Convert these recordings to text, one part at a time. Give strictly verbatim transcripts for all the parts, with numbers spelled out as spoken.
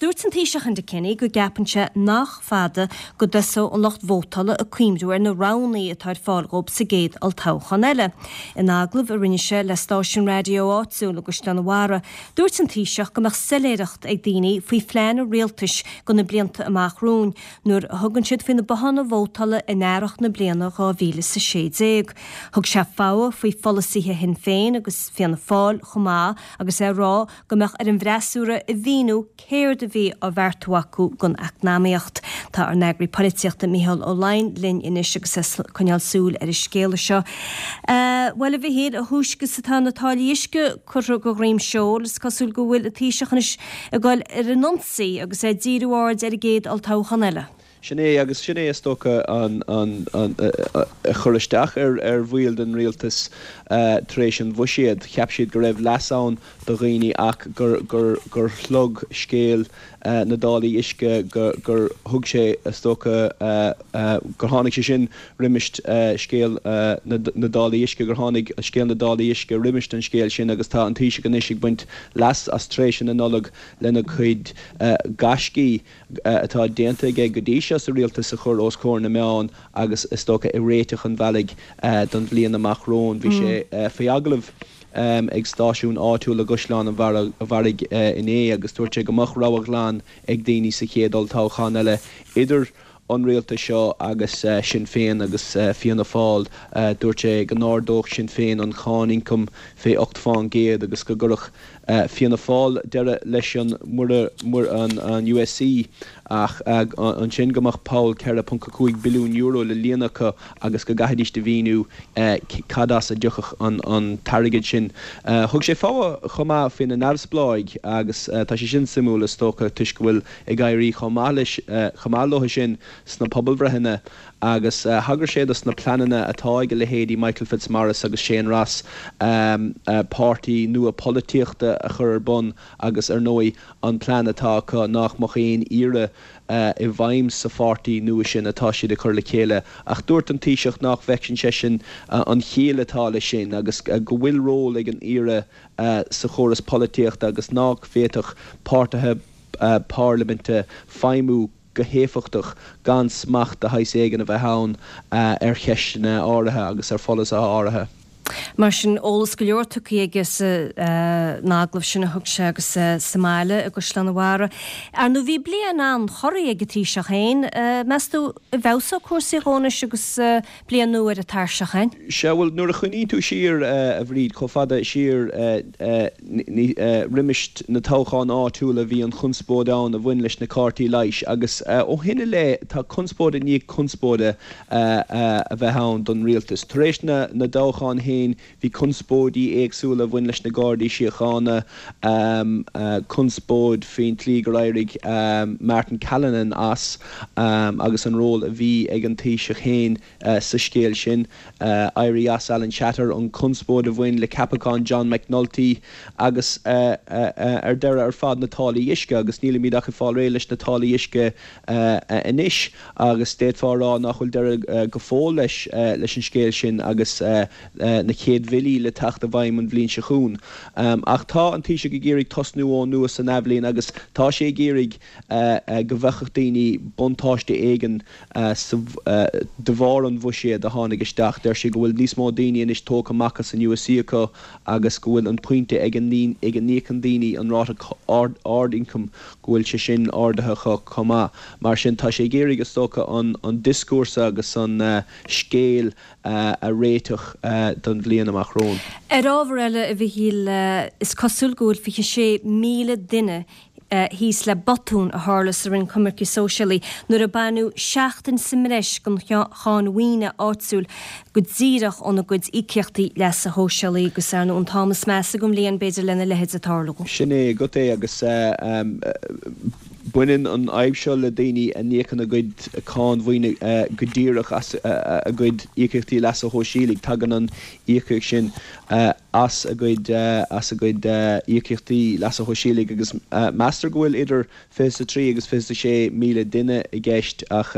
Dúirt an Taoiseach Enda Kenny go gceapann sé nach fada go dtosóidh an lucht vótála ag cuimhniú ar na roghanna atá ar fáil dhóibh sa gcéad olltoghchán eile. In agallamh a rinne sé le stáisiún raidió áitiúil i gCaisleán an Bharraigh, dúirt an Taoiseach go mbeadh soiléireacht ag daoine faoi phlean an rialtais do na blianta amach romhainn nuair a thugann siad faoi na botháin vótála in earrach na bliana dhá mhíle is a sé déag. Thug sé fogha faoi pholasaithe Shinn Féin agus Fianna Fáil chomh maith agus é ag rá go mbeadh ar an bhfreasúra a mhíniú céard a bhí á bheartú acu don eacnamaíocht. Tá ár n-eagraí polaitíochta Mícheál Ó Laighin linn anois agus é ag coinneáil súil ar an scéala seo. Bhuel, a Mhichíl, a thúisce is atá na táillí uisce curtha de dhroim seoil, is cosúil go bhfuil an Taoiseach anois ag dul ar an ionsaí agus é ag díriú aird ar an gcéad olltoghchán eile. Sin é, agus sin é is dócha an an an a chuir isteach ar ar bhaill den rialtas tar éis an bhuiséid. Cheap siad go raibh leas ann do dhaoine ach gur gur gur shlog scéal na dtáillí uisce go gur thug sé is dócha gur tháinig sé sin roimis scéal na na dtáillí uisce, gur tháinig scéal na dtáillí uisce roimis an scéal sin agus tá an Taoiseach anois ag baint leas as tréimhse na Nollag lena chuid gaiscí atá déanta aige go dtí seo sa rialtas a chur os comhair na meán agus is dócha ag réiteach an bhealaigh don bhliain amach romhainn. Bhí sé faoi agallamh ag stáisiún áitiúil i gCaisleán an Bharraigh inné agus dúirt sé go mbeadh rogha ghlan ag daoine sa chéad olltoghchán eile idir an rialtas seo agus Sinn Féin agus Fianna Fáil. Dúirt sé go n-ardódh Sinn Féin an cháin ioncaim fé ocht fán gcéad agus go gcuirfeadh Fianna Fáil deireadh leis an an U S C ach ansin go mbeadh poll ceithre ponc a cúig billiún euro le líonadh acu agus go gcaithfidís a mhíniú cad as a dtiocfadh an t-airgead sin. Thug sé fogha chomh maith faoi na neamhspleáigh agus tá sé sin suimiúil is dócha toisc go bhfuil ag éirí chomh maith leis chomh maith leo sin sna pobalbhreitheanna agus thagair sé dos na pleananna atá ag a leithéidí Michael Fitzmaurice agus Shane Ross páirtí nua polaitíochta a chur ar bun agus ar ndóigh an plean atá acu nach mbeadh aon IRA i bhfeidhm sa pháirtí nua sin atá siad ag cur le chéile. Ach dúirt an Taoiseach nach bhfeiceann seisean an chiall atá leis sin agus go bhfuil ról ag an IRA sa chóras polaitíochta agus nach bhféadfadh páirtithe parlaiminte feidhmiú go héifeachtach gan smacht de shaghas éigin a bheith ann ar cheisteanna áirithe agus ar pholasaithe áirithe. Mar sin eolas go leor tugtha aige san agallamh sin a thug sé agus sa mbaile i gCaisleán an Bharraigh. Ar ndóigh bhí bliain an-chorraí ag an Taoiseach féin, meas tú an bhfeabhsóidh cúrsaí dhó anois agus bliain nua ar an tairseach againn? Sea, bhuel nuair a chuimhníonn tú siar a Bhríd chomh fada siar roimis na toghcháin áitiúla bhí an chonspóid ann a bhain leis na cártaí leighis agus ó shin i leith tá conspóid i ndiaidh conspóide a bheith ann don rialtas. Tar éis na na dtoghchán féin bhí conspóidí éagsúla a bhain leis na Gardaí Síochána, conspóid faoin tslí gur éirigh Martin Callinan as agus an ról a bhí ag an Taoiseach féin sa scéal sin, éirí as Alan Shatter, an chonspóid a bhain le ceapachán John McNulty agus ar deireadh ar fad na táillí uisce agus nílimid ach ag fáil réidh leis na táillí uisce anois agus d'fhéadfá a rá nach bhfuil deireadh go fóill leis leis an scéal sin agus na chéad bhillí le teacht i bhfeidhm an bhliain seo chugainn. Ach tá an Taoiseach ag iarraidh tosnú ón nua san athbhliain agus tá sé ag iarraidh go bhfeicfeadh daoine buntáiste éigin de bharr an bhuiséid a tháinig isteach. Deir sé go bhfuil níos mó daoine anois tógtha amach as an U S C acu agus go bhfuil an pointe ag a n-íocann daoine an ráta ard-ioncaim go bhfuil sé sin ardaithe chomh maith. Mar sin tá sé ag iarraidh is dócha an an dioscúrsa agus an scéal a réiteach don bhliain amach romhainn. Ar ábhar eile, a Mhichíl, is cosúil go bhfuil fiche sé míle duine thíos le botún a tharla sa Roinn Coimirce Sóisialaí nuair a baineadh seachtain sa mbreis den cháin mhaoine áitiúil go díreach óna gcuid íocaíochtaí leasa shóisialaigh agus ar ndóigh an t-am is measa den bhliain b'fhéidir lena leithéid a tarlú. Sin é agat é agus baineann an fhadhb seo le daoine a n-íocann a gcuid cáin mhaoine go díreach as a gcuid íocaíochtaí leasa shóisialaigh. Tagann an íocaíocht sin as a gcuid as a gcuid íocaíochtaí leasa shóisialaigh agus meastar go bhfuil idir fiche a trí agus fiche a sé míle duine i gceist ach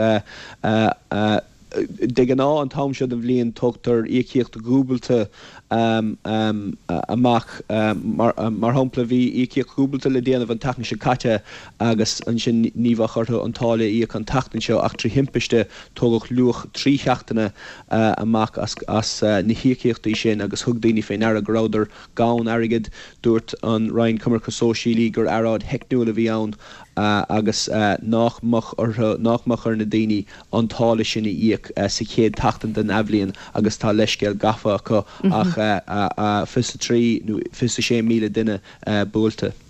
De ghnáth an t-am seo den bhliain tugtar íocaíocht dhúbailte amach. Mar shampla bhí íocaíocht dhúbailte le déanamh an tseachtain seo caite agus ansin ní bheadh orthu an táille a íoc an tseachtain seo ach trí thimpiste tógadh luach trí sheachtaine amach as na híocaíochtaí sin agus thug daoine faoi ndeara go rabhadar gann airgid. Dúirt an Roinn Coimirce Sóisialaí gur earráid theicniúil a bhí ann agus nach mbeadh orthu, nach mbeadh ar na daoine an táille sin a íoc sa chéad tseachtain den athbhliain agus tá leithscéal gafa acu ach fiche a trí nó fiche a sé míle duine buailte.